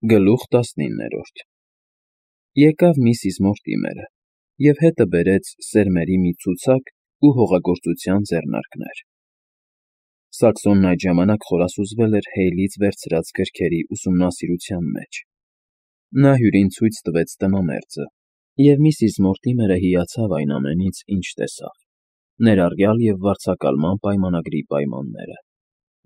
Գլուխ 19 Եկավ միսիս Մորտիմերը և հետը բերեց սերմերի մի ցուցակ ու հողագործության ձեռնարկներ. Սաքսոնն այդ ժամանակ խորասուզվել էր Հեյլից վերցրած գրքերի ուսումնասիրության մեջ. նա հյուրին ցույց տվեց տնամերձը, և միսիս Մորտիմերը հիացավ այն ամենից, ինչ տեսավ, ներառյալ և վարձակալման պայմանագրի պայմանները,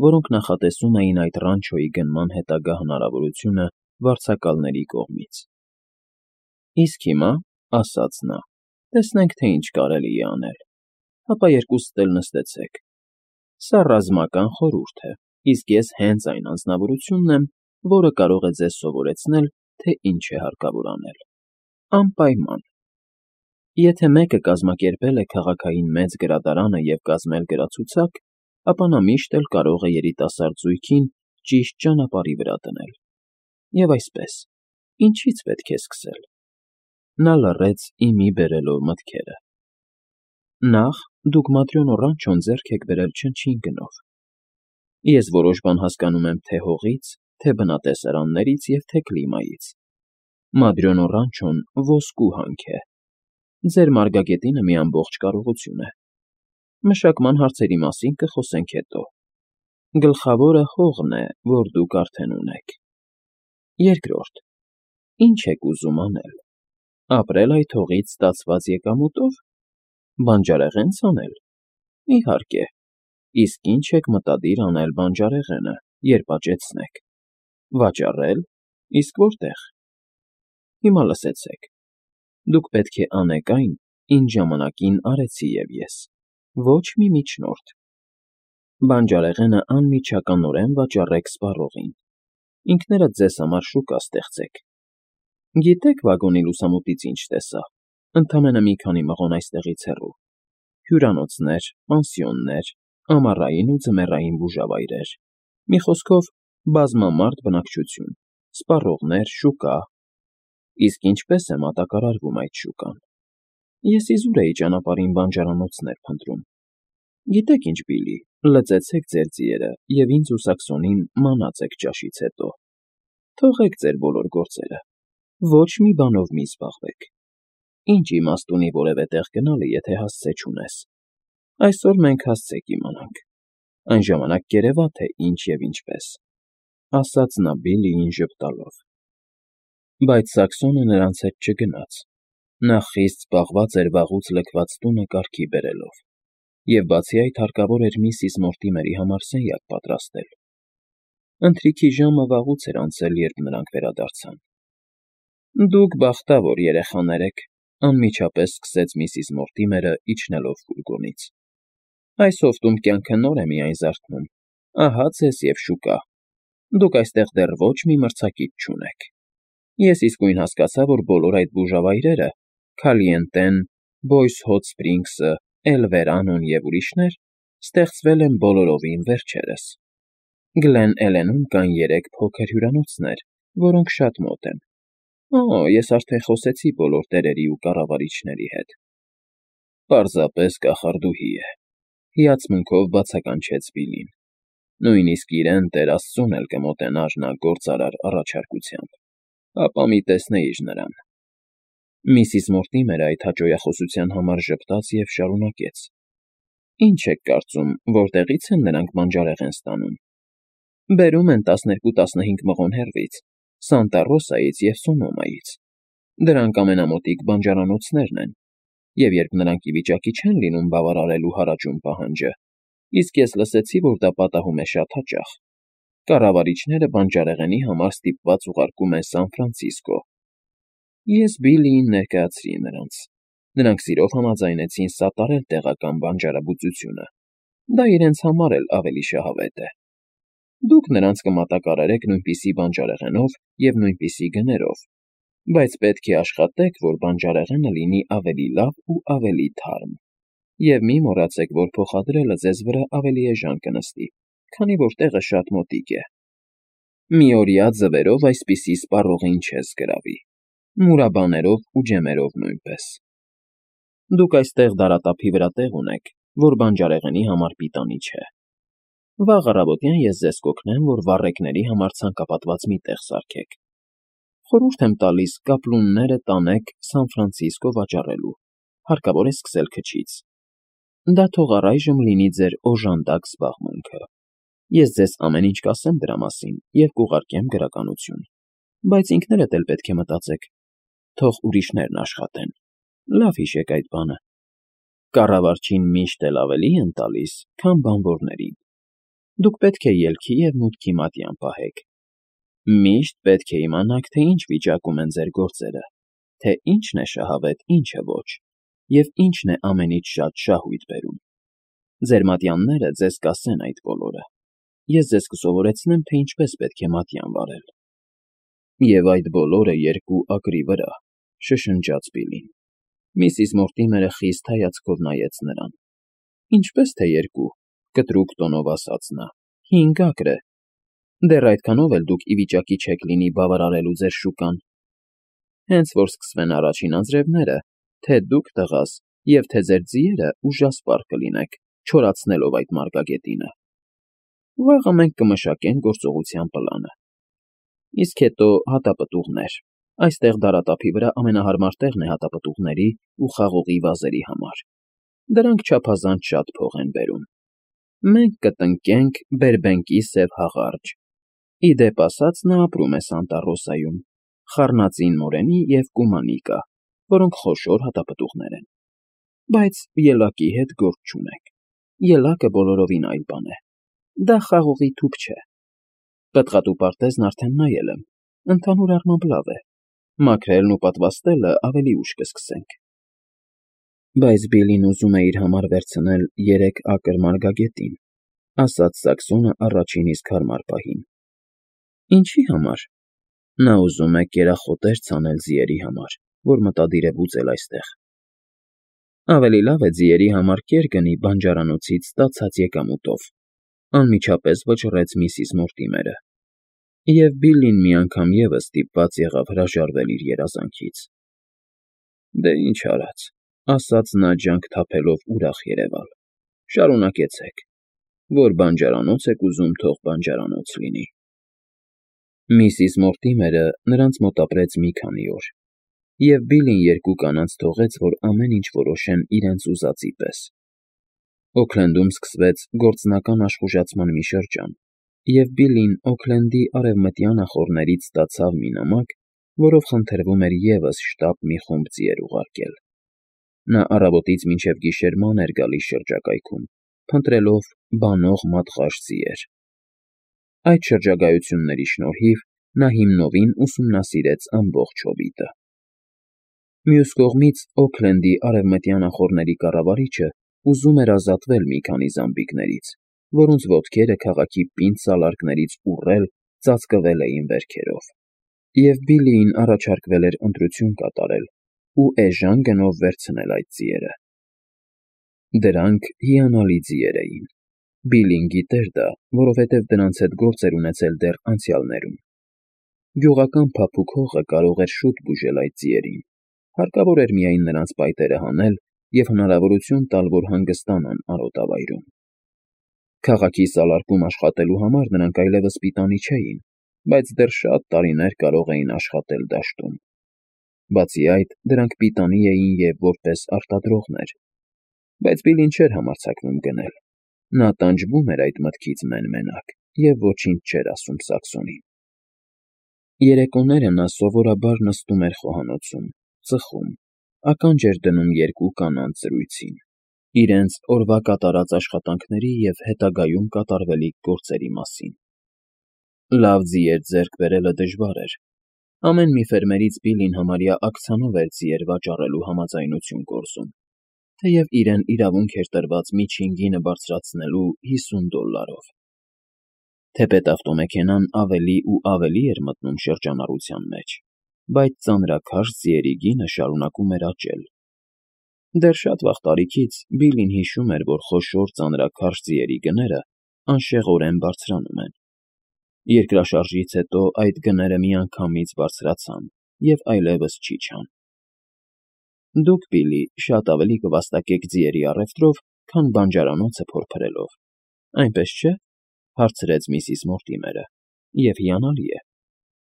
որոնք նախատեսում էին այդ ռանչոյի գնման հետագա հնարավորությունը վարձակալների կողմից։ Իսկ հիմա, ասաց նա, տեսնենք, թե ինչ կարելի է անել, հապա երկուսդ էլ նստեցեք։ Սա ռազմական խորհուրդ է, իսկ ես հենց այն անձնավորությունն եմ, որը կարող է ձեզ սովորեցնել, թե ինչ է հարկավոր անել։ Անպայման։ Եթե մեկը կազմակերպել է քաղաքային մեծ գրադարանը և կազմել գրացուցակ, ապա նա միշտ էլ կարող է երիտասարդ զույգին ճիշտ ճանապարհի վրա դնել։ Եվ այսպես, ինչի՞ց պետք է սկսել։ Նա լռեց, ի մի բերելով մտքերը։ Նախ, դուք Մադրյոնո Ռանչոն ձեռք եք բերել չնչին գնով։ Ես որոշ բան հասկանում եմ թե հողից, թե բնատեսարաններից և թե կլիմայից։ Մադրյոնո Ռանչոն ոսկու հանք է։ Ձեր մարգագետինը մի ամբողջ կարողություն է։ Մշակման հարցերի մասին կխոսենք հետո։ Գլխավորը հողն է, որ դուք արդեն ունեք։ Երկրորդ, ինչ եք ուզում անել։ Ապրել այդ հողից ստացված եկամուտով։ Բանջարեղեն ցանել։ Իհարկե։ Իսկ ինչ եք մտադիր անել բանջարեղենը, երբ աճեցնեք։ Վաճառել։ Իսկ որտե՞ղ։ Հիմա լսեցեք։ Դուք պետք է անեք այն, ինչ ժամանակին արեցի և ես։ Ոչ մի միջնորդ։ Բանջարեղենը անմիջականորեն վաճառեք սպառողին։ Ինքներդ ձեզ համար շուկա ստեղծեք։ Գիտե՞ք վագոնի լուսամուտից ինչ տեսա։ Ընդամենը մի քանի մղոն այստեղից հեռու։ Հյուրանոցներ, պանսիոններ, ամառային ու ձմեռային բուժավայրեր։ Մի խոսքով, բազմամարդ բնակչություն, սպառողներ, շուկա։ Իսկ ինչպե՞ս է մատակարարվում այդ շուկան։ Ես իզուր էի ճանապարհին բանջարանոցներ փնտրում։ Գիտեք ինչ, Բիլլի, լծեցեք ձեր ձիերը և ինձ ու Սաքսոնին մանացեք ճաշից հետո։ Թողեք ձեր բոլոր գործերը։ Ոչ մի բանով մի զբաղվեք։ Ինչ իմաստ ունի որևէ տեղ գնալը, եթե հասցե չունես։ Այսօր մենք հասցե կիմանանք։ Այն ժամանակ կերևա, թե ինչ և ինչպես, ասաց նա Բիլլիին ժպտալով։ Բայց Սաքսոնը նրանց հետ չգնաց։ Նա խիստ զբաղված էր վաղուց լքված տունը կարգի բերելով, և բացի այդ հարկավոր էր միսիս Մորտիմերի համար սենյակ պատրաստել։ Ընթրիքի ժամը վաղուց էր անցել, երբ նրանք վերադարձան։ Դուք բախտավոր երեխաներ եք, անմիջապես սկսեց միսիս Մորտիմերը, իջնելով ֆուրգոնից։ Այս հովտում կյանքը նոր է միայն զարթնում։ Ահա ձեզ և շուկա։ Դուք այստեղ դեռ ոչ մի մրցակից չունեք։ Ես իսկույն հասկացա, որ բոլոր այդ բուժավայրերը՝ Քալիենտեն, Բոյս Հոտ Սփրինգսը, Էլ Վերանոն և ուրիշներ, ստեղծվել են բոլորովին վերջերս։ Գլեն Էլենում կան 3 փոքր հյուրանոցներ, որոնք շատ մոտ են։ Օ, ես արդեն խոսեցի բոլոր տերերի ու կառավարիչների հետ։ Պարզապես կախարդուհի է, հիացմունքով բացականչեց Բիլլին։ Նույնիսկ իրեն Տեր Աստծուն էլ կմոտենար նա գործարար առաջարկությամբ։ Ապա մի տեսնեիր նրան։ Միսիս Մորտիմերը այդ հաճոյախոսության համար ժպտաց և շարունակեց. Ինչ եք կարծում, որտեղի՞ց են նրանք բանջարեղեն ստանում։ Բերում են 12-15 մղոն հեռվից, Սանտա Ռոսայից և Սոնոմայից։ Դրանք ամենամոտիկ բանջարանոցներն են, և երբ նրանք ի վիճակի չեն լինում բավարարելու հարաճուն պահանջը, իսկ ես լսեցի, որ դա պատահում է շատ հաճախ, կառավարիչները բանջարեղենի համար ստիպված ուղարկում են Սան Ֆրանցիսկո։ Ես Բիլլիին ներկայացրի նրանց։ Նրանք սիրով համաձայնեցին սատարել տեղական բանջարաբուծությունը։ Դա իրենց համար էլ ավելի շահավետ է։ Դուք նրանց կմատակարարեք նույնպիսի բանջարեղենով և նույնպիսի գներով, բայց պետք է աշխատեք, որ բանջարեղենը լինի ավելի լավ ու ավելի թարմ։ Եվ մի մոռացեք, որ փոխադրելը ձեզ վրա ավելի էժան կնստի, քանի որ տեղը շատ մոտիկ է։ Միօրյա ձվերով այսպիսի սպառողին չես գրավի, մուրաբաներով ու ջեմերով նույնպես։ Դուք այստեղ դարատափի վրա տեղ ունեք, որ բանջարեղենի համար պիտանի չէ։ Վաղ առավոտյան ես ձեզ կօգնեմ, որ վառեկների համար ցանկապատված մի տեղ սարքեք, Խորհուրդ եմ տալիս կապլունները տանեք Սան Ֆրանցիսկո վաճառելու, հարկավոր է սկսել քչից։ Դա թող առայժմ լինի ձեր օժանդակ զբաղմունքը։ Ես ձեզ ամեն ինչ կասեմ դրա մասին և կուղարկեմ գրականություն, բայց ինքներդ էլ պետք է մտածեք, թող ուրիշներն աշխատեն։ Լավ հիշեք այդ բանը. կառավարչին միշտ էլ ավելի են տալիս, քան բանվորներին։ Դուք պետք է ելքի և մուտքի մատյան պահեք։ Միշտ պետք է իմանաք, թե ինչ վիճակում են ձեր գործերը, թե ինչն է շահավետ, ինչը ոչ, և ինչն է ամենից շատ շահույթ բերում։ Ձեր մատյանները ձեզ կասեն այդ բոլորը։ Ես ձեզ կսովորեցնեմ, թե ինչպես պետք է մատյան վարել։ Եվ այդ բոլորը երկու ակրի վրա, շշնջաց Բիլին։ Միսիս Մորտիմերը խիստ հայացքով նայեց նրան։ Ինչպես թե երկու, կտրուկ տոնով ասաց նա, 5 ակր է։ Դեռ այդքանով էլ դուք ի վիճակի չեք լինի բավարարելու ձեր շուկան։ Հենց որ սկսվեն առաջին անձրևները, թե դուք տղաս, և թե ձեր ձիերը ուժասպառ կլինեք, չորացնելով այդ մարգագետինը։ Վաղը մենք կմշակենք գործողության պլանը։ Իսկ հետո հատապտուղներ։ Այստեղ դարատափի վրա ամենահարմար տեղն է հատապտուղների ու խաղողի վազերի համար։ Դրանք չափազանց շատ փող են բերում։ Մենք կտնկենք Բերբենկի սև հաղարջ։ Ի դեպ ասած, նա ապրում է Սանտա Ռոսայում, խառնածին մորենի և կումանի կա, որոնք խոշոր հատապտուղներ են։ Բայց ելակի հետ գործ չունենք։ Ելակը բոլորովին այլ բան է։ Դա խաղողի թուփ չէ։ Պտղատու պարտեզն արդեն նայել եմ։ Ընդհանուր առմամբ լավ է։ Մաքրելն ու պատվաստելը ավելի ուշ կսկսենք։ Բայց Բիլին ուզում է իր համար վերցնել 3 ակր մարգագետին, ասաց Սաքսոնը առաջին իսկ հարմար պահին։ Ինչի համար։ Նա ուզում է կերախոտեր ցանել ձիերի համար, որ մտադիր է բուծել այստեղ։ Ավելի լավ է ձիերի համար կեր գնի բանջարանոցից ստացած եկամուտով, անմիջապես վճռեց Միսիս Մորտիմերը։ Եվ Բիլլին մի անգամ ևս ստիպված եղավ հրաժարվել իր երազանքից։ Դե ինչ արած, ասաց նա ջանք թափելով ուրախ երևալ։ Շարունակեցեք։ Որ բանջարանոց եք ուզում, թող բանջարանոց լինի։ Միսիս Մորտիմերը նրանց մոտ ապրեց մի քանի օր, և Բիլին երկու կանանց թողեց, որ ամեն ինչ որոշեն իրենց ուզածի պես։ Օքլենդում սկսվեց գործնական աշխուժացման մի շրջան, և Բիլին Օքլենդի արևմտյան ախոռներից ստացավ մի նամակ, որով խնդրվում էր ևս շտապ մի խումբ ձիեր ուղարկել։ Նա առավոտից մինչև գիշեր ման էր գալիս շրջակայքում, փնտրելով բանող մատղաշ ձիեր։ Այդ շրջագայությունների շնորհիվ նա հիմնովին ուսումնասիրեց ամբողջ հովիտը։ Մյուս կողմից Օքլենդի արևմտյան ախոռների կառավարիչը ուզում էր ազատվել մի քանի զամբիկներից, որոնց ոտքերը քաղաքի պինդ սալարկներից ուռել ծածկվել էին վերքերով, և Բիլիին առաջարկվել էր ընտրություն կատարել ու էժան գնով վերցնել այդ ձիերը։ Դրանք հիանալի ձիեր էին։ Բիլին գիտեր դա, որովհետև դրանց հետ գործ էր ունեցել դեռ անցյալներում։ Գյուղական փափուկ հողը կարող էր շուտ բուժել այդ ձիերին, հարկավոր էր միայն նրանց պայտերը հանել և հնարավորություն տալ, որ հանգստանան արոտավայրում։ Քաղաքի սալարկում աշխատելու համար նրանք այլևս պիտանի չէին, բայց դեռ շատ տարիներ կարող էին աշխատել դաշտում։ Բացի այդ, դրանք պիտանի էին և որպես արտադրողներ։ Բայց Բիլին չէր համարձակվում գնել։ Նա տանջվում էր այդ մտքից մեն֊մենակ և ոչինչ չէր ասում Սաքսոնին։ Երեկոները նա սովորաբար նստում էր խոհանոցում, ծխում, ականջ էր դնում երկու կանանց զրույցին, իրենց օրվա կատարած աշխատանքների և հետագայում կատարվելիք գործերի մասին։ Լավ ձիեր ձեռք բերելը դժվար էր։ Ամեն մի ֆերմերից Բիլին համարյա ակցիանով էր ձիեր վաճառելու համաձայնություն կորզում, թեև իրեն իրավունք էր տրված միջին գինը բարձրացնելու $50։ Թեպետ ավտոմեքենան ավելի ու ավելի էր մտնում շրջանառության մեջ, բայց ծանրաքաշ ձիերի գինը շարունակում էր աճել։ Դեռ շատ վաղ տարիքից Բիլին հիշում էր, որ խոշոր ծանրաքաշ ձիերի գները անշեղորեն բարձրանում են։ Երկրաշարժից հետո այդ գները միանգամից բարձրացան և այլևս չիջան։ Դուք, Բիլի, շատ ավելի կվաստակեք ձիերի առևտրով, քան բանջարանոցը փորփրելով, այնպես չէ՞, հարցրեց Միսիս Մորտիմերը, և հիանալի է։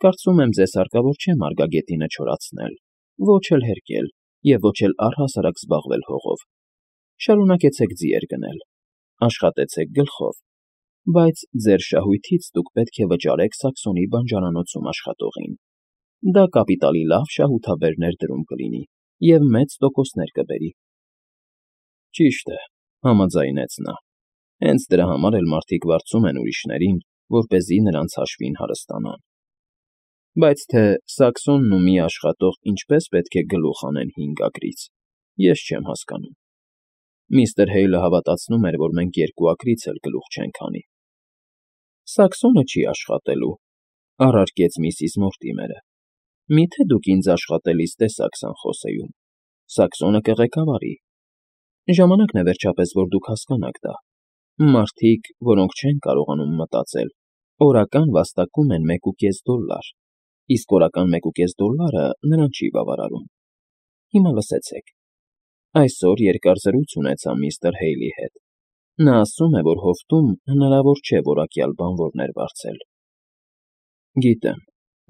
Կարծում եմ, ձեզ հարկավոր չէ մարգագետինը չորացնել, ոչ էլ հերկել և ոչ էլ առհասարակ զբաղվել հողով. շարունակեցեք ձիեր գնել, աշխատեցեք գլխով, բայց ձեր շահույթից դուք պետք է վճարեք Սաքսոնի բանջարանոցում աշխատողին. դա կապիտալի լավ շահութաբեր ներդրում կլինի և մեծ տոկոսներ կբերի։ Ճիշտ է, համաձայնեց նա, հենց դրա համար էլ մարդիկ վարձում են ուրիշներին, որպեսզի նրանց հաշվին հարստանան։ Բայց թե Սաքսոնն ու մի աշխատող ինչպես պետք է գլուխ անեն 5 ագրից, ես չեմ հասկանում։ Միստր Հեյլը հավատացնում էր, որ մենք 2 ագրից էլ գլուխ չենք անի։ Սաքսոնը չի աշխատելու, առարկեց միսիս Մորտիմերը։ Միթե դուք ինձ աշխատելիս տեսակ Սանխոսեում, Սաքսոնը կղեկավարի։ Ժամանակն է վերջապես, որ դուք հասկանաք դա։ Մարդիկ, որոնք չեն կարողանում մտածել, օրական վաստակում են $1.5, իսկ օրական $1.5 նրան չի բավարարում։ Հիմա լսեցեք։ Այսօր երկար զրույց ունեցա միստր Հեյլի հետ։ Նա ասում է, որ հովտում հնարավոր չէ որակյալ բանվորներ վարձել։ Գիտեմ,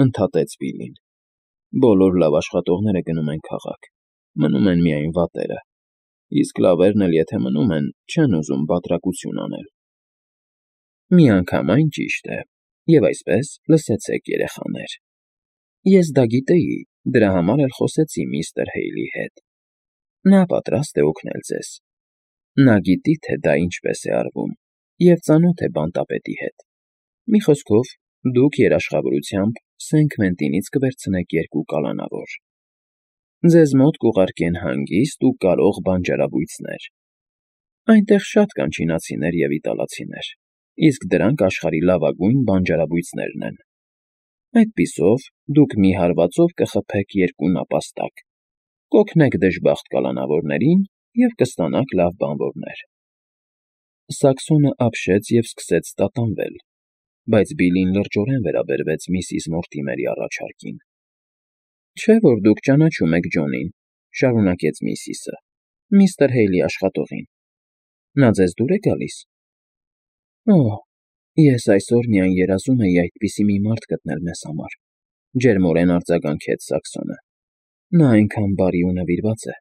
ընդհատեց Բիլլին։ Բոլոր լավ աշխատողները գնում են քաղաք, մնում են միայն վատերը, իսկ լավերն էլ եթե մնում են, չեն ուզում բատրակություն անել։ Միանգամայն ճիշտ է, և այսպես, լսեցեք, երեխաներ։ Ես դա գիտեի, դրա համար էլ խոսեցի միստր Հեյլի հետ։ Նա պատրաստ է օգնել ձեզ։ Նա գիտի, թե դա ինչպես է արվում, և ծանոթ է բանտապետի հետ։ Մի խոսքով, դուք երաշխավորությամբ Սենքվենտինից կվերցնեք 2 կալանավոր։ Ձեզ մոտ կուղարկեն հանգիստ ու կարող բանջարաբույծներ։ Այնտեղ շատ կան չինացիներ և իտալացիներ, իսկ դրանք աշխարհի լավագույն բանջարաբույծներն են։ Այդպիսով դուք մի հարվածով կխփեք 2 նապաստակ, կօգնեք դժբախտ կալանավորներին և կստանաք լավ բանվորներ։ Սաքսոնը ապշեց և սկսեց տատանվել, բայց Բիլլին լրջորեն վերաբերվեց միսիս Մորտիմերի առաջարկին։ Չէ՞ որ դուք ճանաչում եք Ջոնին, շարունակեց միսիսը, միստր Հեյլի աշխատողին։ Նա ձեզ դուր է գալիս։ Օհ, ես այսօր միայն երազում էի այդպիսի մի մարդ գտնել մեզ համար, ջերմորեն արձագանքեց Սաքսոնը։ Նա այնքան բարի ու նվիրված է։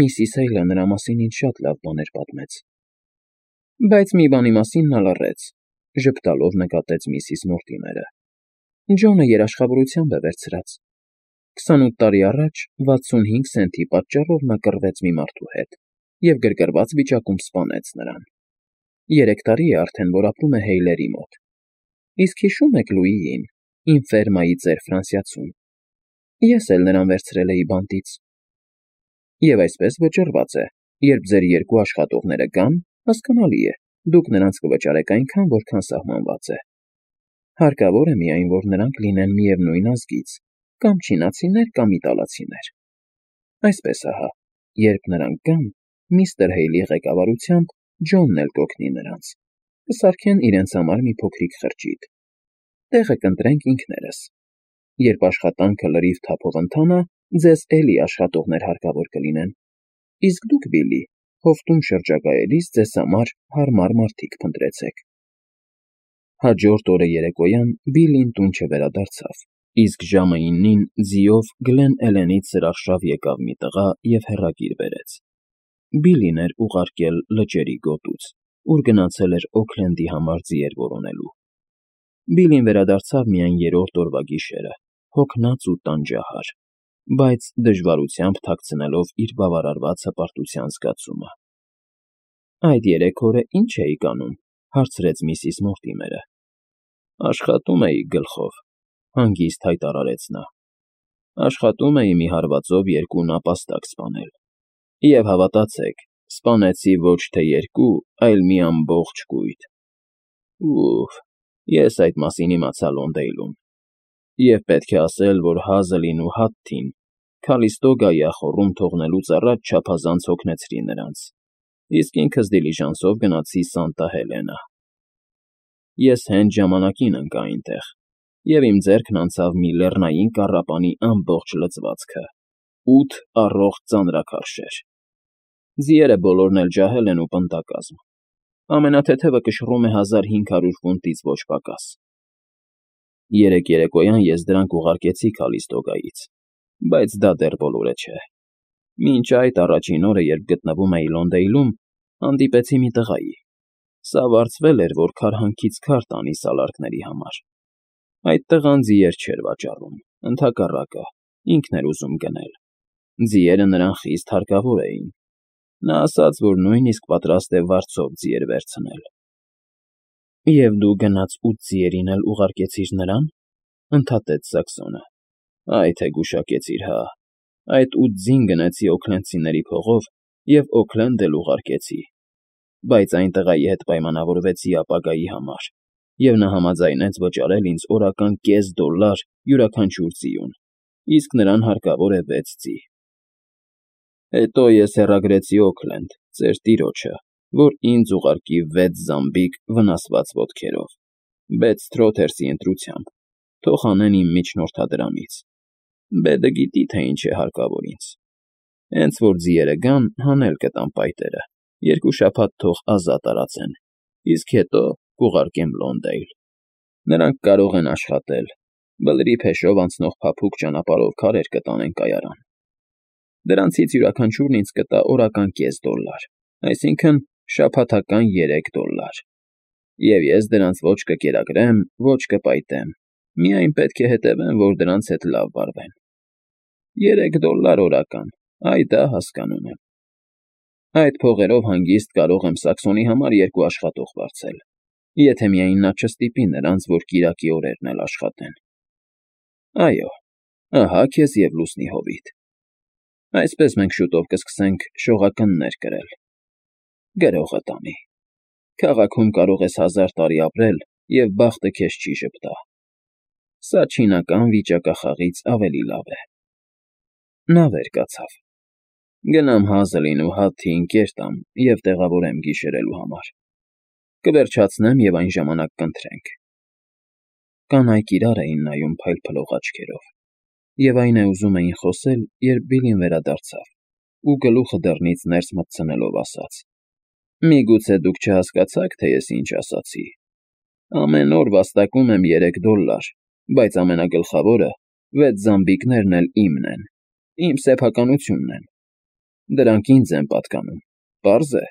Միսիս Հեյլը նրա մասին ինձ շատ լավ բաներ պատմեց։ Բայց մի բանի մասին նա լռեց, ժպտալով նկատեց միսիս Մորտիմերը։ Ջոնը երաշխավորությամբ է վերցրած։ 28 տարի առաջ 65 սենթի պատճառով նա կռվեց մի մարդու հետ և գրգռված վիճակում սպանեց նրան։ 3 տարի է արդեն, որ ապրում է Հեյլերի մոտ։ Իսկ հիշո՞ւմ եք Լուիին, իմ ֆերմայի ծեր Ֆրանսիացուն։ Ես էլ նրան վերցրել էի բանտից։ Եվ այսպես վճռված է, երբ ձեր 2 աշխատողները գան, հասկանալի է, դուք նրանց կվճարեք այնքան, որքան սահմանված է։ Հարկավոր է միայն, որ նրանք լինեն միևնույն ազգից, կամ չինացիներ, կամ իտալացիներ։ Այսպես ահա, երբ նրանք գան, միստր Հեյլի ղեկավարությամբ Ջոնն էլ կօգնի նրանց։ Կսարքեն իրենց համար մի փոքրիկ խրճիթ։ Տեղը կընտրենք ինքներս։ Երբ աշխատանքը լրիվ թափով ընթանա, ձեզ էլի աշխատողներ հարկավոր կլինեն։ Իսկ դուք, Բիլլի, հովտում շրջագայելիս ձեզ համար հարմար մարդիկ փնտրեցեք։ Հաջորդ օրը երեկոյան Բիլլին տուն չվերադարձավ, իսկ ժամը 9-ին ձիով Գլեն Էլենից զրախշավ եկավ մի տղա և հեռագիր բերեց։ Բիլլին էր ուղարկել լճերի գոտուց, ուր գնացել էր Օքլենդի համար ձիեր որոնելու։ Բիլլին վերադարձավ միայն 3-րդ օրվա գիշերը, հոգնած ու տանջահար, բայց դժվարությամբ թաքցնելով իր բավարարված հպարտության զգացումը։ Այդ 3 օրը ի՞նչ էիք անում, հարցրեց միսիս Մորտիմերը։ Աշխատում էի գլխով, հանգիստ հայտարարեց նա։ Աշխատում էի մի հարվածով 2 նապաստակ սպանել։ Եվ հավատացեք, սպանեցի ոչ թե 2, այլ մի ամբողջ կույտ։ Ուֆ, ես այդ մասին իմացա Լոնդեյլում։ Եվ պետք է ասել, որ Հազլին ու Հաթթին Քալիստոգայի ախոռում թողնելուց առաջ չափազանց հոգնեցրի նրանց, իսկ ինքս դիլիժանսով գնացի Սանտա Հելենա։ Ես հենց ժամանակին ընկա այնտեղ, և իմ ձեռքն անցավ մի լեռնային կառապանի ամբողջ լծվածքը, 8 առողջ ծանրաքարշեր։ Ձիերը բոլորն էլ ջահել են ու պնդակազմ։ Ամենաթեթևը կշռում է 1500 ֆունտից ոչ պակաս։ Երեկ երեկոյան ես դրանք ուղարկեցի Քալիստոգայից, բայց դա դեռ բոլորը չէ։ Մինչ այդ առաջին օրը, երբ գտնվում էի Լոնդեյլում, հանդիպեցի մի տղայի։ Սա վարձվել էր, որ քարհանքից քար տանի սալարկների համար։ Այդ տղան ձիեր չէր վաճառում, ընդհակառակը, ինքն էր ուզում գնել։ Ձիերը նրան խիստ հարկավոր էին։ Նա ասաց, որ նույնիսկ պատրաստ է վարձով ձիեր վերցնել։ Եվ դու գնաց 8 ձիերին էլ ուղարկեցիր նրան, ընդհատեց Սաքսոնը։ Այ թե գուշակեցիր, հա։ Այդ 8 ձին գնեցի Օքլենդցիների փողով և Օքլենդ էլ ուղարկեցի։ Բայց այն տղայի հետ պայմանավորվեցի ապագայի համար, և նա համաձայնեց վճարել ինձ օրական $0.5 յուրաքանչյուր ձիուն, իսկ նրան հարկավոր է 6 ձի։ Հետո ես հեռագրեցի Օքլենդ, ծեր տիրոջը, որ ինձ ուղարկի 6 զամբիկ վնասված ոտքերով, Բեդսթրոթերսի ընտրությամբ, թող անեն իմ միջնորդադրամից։ Բեդը գիտի, թե ինչ է հարկավոր ինձ։ Հենց որ ձիերը գան, հանել կտամ պայտերը, 2 շաբաթ թող ազատ արածեն, իսկ հետո կուղարկեմ Լոնդեյլ։ Նրանք կարող են աշխատել, բլրի փեշով անցնող փափուկ ճանապարհով քարեր կտանեն կայարան։ Դրանցից յուրաքանչյուրն ինձ կտա օրական $0.5, այսինքն՝ շաբաթական $3։ Եվ ես դրանց ոչ կկերակրեմ, ոչ կպայտեմ, միայն պետք է հետևեմ, որ դրանց հետ լավ վարվեն։ $3 օրական, այ դա հասկանում եմ։ Այդ փողերով հանգիստ կարող եմ Սաքսոնի համար 2 աշխատող վարձել, եթե միայն նա չստիպի նրանց, որ կիրակի օրերն էլ աշխատեն։ Այո, ահա քեզ և լուսնի հովիտ։ Այսպես մենք շուտով կսկսենք շողակններ կրել։ Գրողը տանի։ Քաղաքում կարող ես 1000 տարի ապրել, և բախտը քեզ չի ժպտա։ Սա չինական վիճակախաղից ավելի լավ է։ Նա վեր կացավ։ Գնամ Հազլին ու Հաթի ընկեր տամ և տեղավորեմ գիշերելու համար։ Կվերջացնեմ և այն ժամանակ կընթրենք։ Կանայք իրար էին նայում փայլփլող աչքերով, և այն է ուզում էին խոսել, երբ Բիլլին վերադարձավ ու գլուխը դռնից ներս մտցնելով ասաց. «Միգուցե դուք չհասկացաք, թե ես ինչ ասացի։ Ամեն օր վաստակում եմ $3, բայց ամենագլխավորը 6 զամբիկներն էլ իմն են, իմ սեփականությունն են։ Դրանք ինձ են պատկանում, պարզ է»։